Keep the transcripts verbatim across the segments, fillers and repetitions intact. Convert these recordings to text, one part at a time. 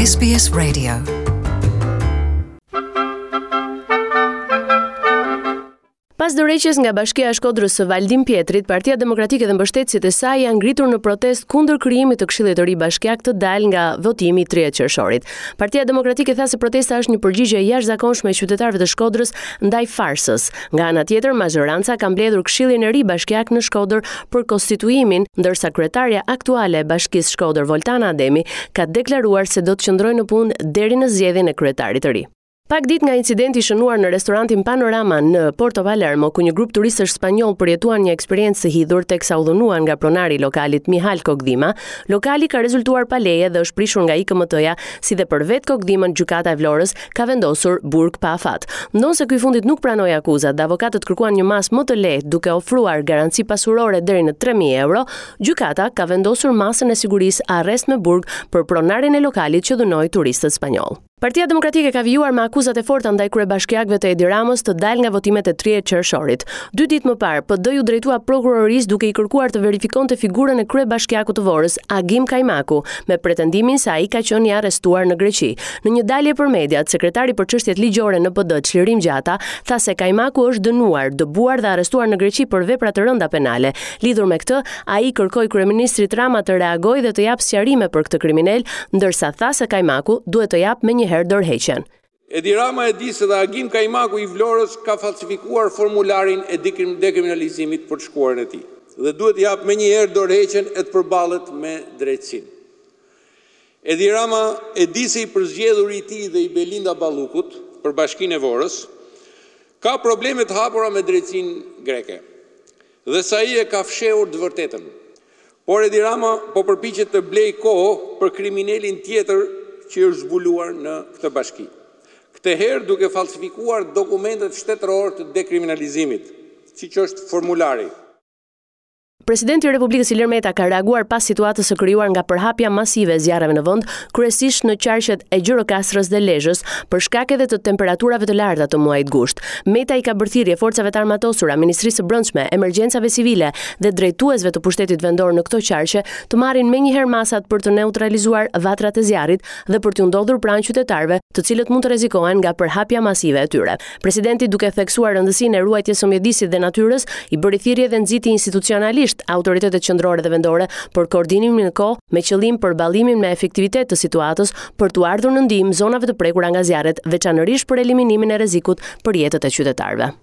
S B S Radio. Pas dorëheqjes nga Bashkia e Shkodrës së Valdin Pjetrit, Partia Demokratike dhe mbështetësit e saj janë ngritur në protestë kundër krijimit të Këshillit të Ri Bashkiak të dalë nga votimi i tridhjetë qershorit. Partia Demokratike tha se protesta është një përgjigje e jashtëzakonshme e qytetarëve të Shkodrës ndaj farsës. Nga ana tjetër, mazhoranca ka mbledhur Këshillin e Ri Bashkiak në Shkodër për konstituimin, ndërsa kryetarja aktuale e Bashkisë Shkodër, Voltana Ademi, ka deklaruar se do të qëndrojë në punë deri në zgjedhjen e kryetarit të ri. Pak ditë nga incidenti i shënuar në restorantin Panorama në Porto Palermo, ku një grup turistësh spanjoll përjetuan një eksperiencë të hidhur teksa u dhunuan nga pronari i lokalit Mihal Kokdhima, lokali ka rezultuar pa leje dhe është prishur nga I K M T-ja, si dhe për vetë Kokdhimën gjykata e Vlorës ka vendosur burg pa afat. Ndonëse ky i fundit nuk pranoi akuzat dhe avokatët kërkuan një masë më të lehtë duke ofruar garanci pasurore deri në tre mijë euro, gjykata ka vendosur masën e sigurisë arrest me burg për pronarin e lokalit që dhunoi turistët spanjoll. Partia Demokratike ka vijuar me akuzat e forta ndaj kryebashkiakëve të Edi Ramës të dalë nga votimet e tridhjetë qershorit. Dy ditë më parë, P D iu drejtua prokurorisë duke i kërkuar të verifikonte figurën e kryebashkiakut të Vorës, Agim Kajmaku, me pretendimin se ai ka qenë i arrestuar në Greqi. Në një dalje për mediat, sekretari për çështjet ligjore në P D, Çlirim Gjata, tha se Kajmaku është dënuar, dëbuar dhe arrestuar në Greqi për vepra të rënda penale. Lidhur me këtë, ai kërkoi kryeministrit Rama të reagojë dhe të japë sqarime për këtë kriminal, ndërsa tha se Kajmaku duhet të japë menjëherë dorëheqjen. Edi Rama e di se dhe Agim Kajmaku i Vlorës ka falsifikuar formularin e dekriminalizimit për të shkuarën e tij dhe duhet të japë menjëherë dorëheqjen e të përballet me drejtësinë. Edi Rama e di se i përzgjedhuri i tij dhe i Belinda Ballukut për Bashkinë e Vorës ka probleme të hapura me drejtësinë greke dhe se ai e ka fshehur të vërtetën. Por Edi Rama po përpiqet të blej kohë për kriminelin tjetër që është zbuluar në këtë bashki. Këtë herë duke falsifikuar dokumentet shtetërore të dekriminalizimit, siç është formulari. Presidenti i Republikës Ilir Meta ka reaguar pas situatës së krijuar nga përhapja masive e zjarreve në vend, kryesisht në qarqet e Gjirokastrës dhe Lezhës, për shkak edhe të temperaturave të larta të muajit gusht. Meta i ka bërë thirrje forcave të armatosura, Ministrisë së Brendshme, Emergjencave Civile dhe drejtuesve të pushtetit vendor në këto qarqe të marrin menjëherë masat për të neutralizuar vatrat e zjarrit dhe për t'u ndodhur pranë qytetarëve, të cilët mund të rrezikohen nga përhapja masive e tyre. Presidenti, duke theksuar rëndësinë e ruajtjes së mjedisit dhe natyrës, i bëri thirrje dhe nxiti institucionalisht autoritetet qendrore dhe vendore për koordinimin në kohë me qëllim përballimin me efektivitet të situatës për t'u ardhur në ndihmë zonave të prekura nga zjarret, veçanërisht për eliminimin e rrezikut për jetët e qytetarëve.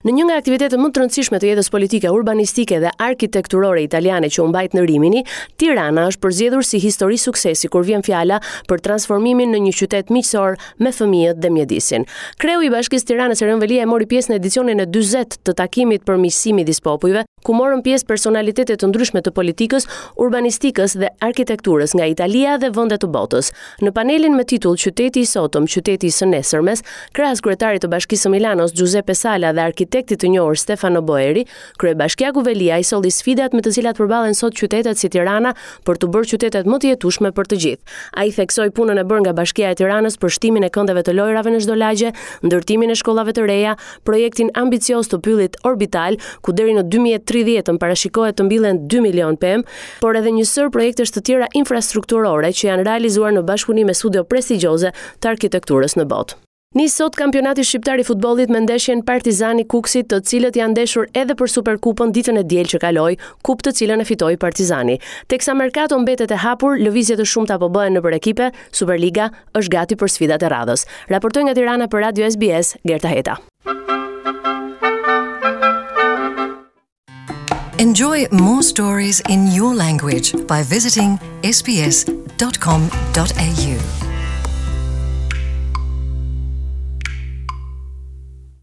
Në një nga aktivitetet më të rëndësishme të jetës politike, urbanistike dhe arkitekturore italiane që u mbajt në Rimini, Tirana është përzgjedhur si histori suksesi kur vjen fjala për transformimin në një qytet miqësor me fëmijët dhe mjedisin. Kreu i Bashkisë Tiranës, Erion Veliaj, mori pjesë në edicionin e dyzet të takimit për miqësi midis popujve, ku morën pjesë personalitete të ndryshme të politikës, urbanistikës dhe arkitekturës nga Italia dhe vende të botës. Në panelin me titull "Qyteti i sotëm, qyteti i së nesërmes", krahas kryetarit të Bashkisë së Milanos Giuseppe Sala dhe arkitektit të njohur Stefano Boeri, kryebashkiaku Veliaj solli sfidat me të cilat përballen sot qytetet si Tirana për të bërë qytetet më të jetueshme për të gjithë. Ai theksoi punën e bërë nga Bashkia e Tiranës për shtimin e këndeve të lojrave në çdo lagje, ndërtimin e shkollave të reja, projektin ambicioz të pyllit orbital, ku deri në dy mijë e tridhjetë parashikohet të mbillen dy milion pemë, por edhe një sërë projektesh të tjera infrastrukturore që janë realizuar në bashkëpunim me studio prestigjioze të arkitekturës në botë. Nis sot kampionati shqiptar i futbollit me ndeshjen Partizani Kukësi, të cilët janë ndeshur edhe për Superkupën ditën e diel që kaloi, kupë të cilën e fitoi Partizani. Teksa merkato mbetet e hapur, lëvizje të shumta po bëhen nëpër ekipe, Superliga është gati për sfidat e radhës. Raportoi nga Tirana për Radio S B S, Gerta Heta. Enjoy more stories in your language by visiting S B S dot com dot A U.